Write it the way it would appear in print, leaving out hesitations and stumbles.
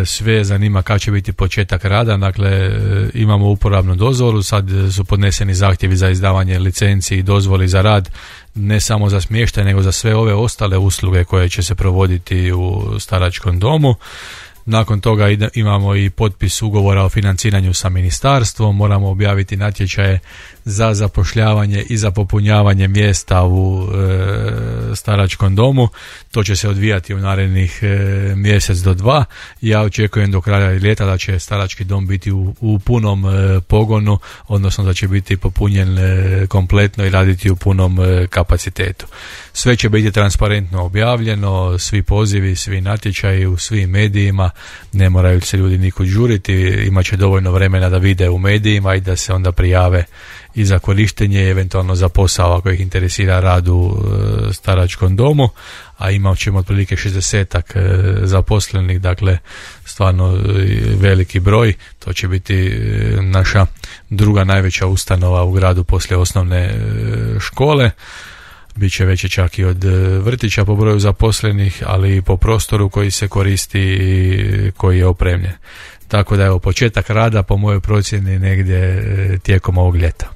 sve zanima kad će biti početak rada. Dakle, imamo uporabnu dozvolu, sad su podneseni zahtjevi za izdavanje licenci i dozvoli za rad, ne samo za smještaj nego za sve ove ostale usluge koje će se provoditi u staračkom domu. Nakon toga imamo i potpis ugovora o financiranju sa ministarstvom, moramo objaviti natječaje za zapošljavanje i za popunjavanje mjesta u staračkom domu. To će se odvijati u narednih mjesec do dva. Ja očekujem do kraja ljeta da će starački dom biti u punom pogonu, odnosno da će biti popunjen kompletno i raditi u punom kapacitetu. Sve će biti transparentno objavljeno, svi pozivi, svi natječaji u svim medijima, ne moraju se ljudi nikud žuriti, imat će dovoljno vremena da vide u medijima i da se onda prijave i za korištenje i eventualno za posao ako ih interesira rad u staračkom domu, a imat ćemo otprilike 60-ak zaposlenih, dakle stvarno veliki broj. To će biti naša druga najveća ustanova u gradu poslije osnovne škole. Biće veće čak i od vrtića po broju zaposlenih, ali i po prostoru koji se koristi i koji je opremljen. Tako da evo, početak rada po mojoj procjeni negdje tijekom ovog ljeta.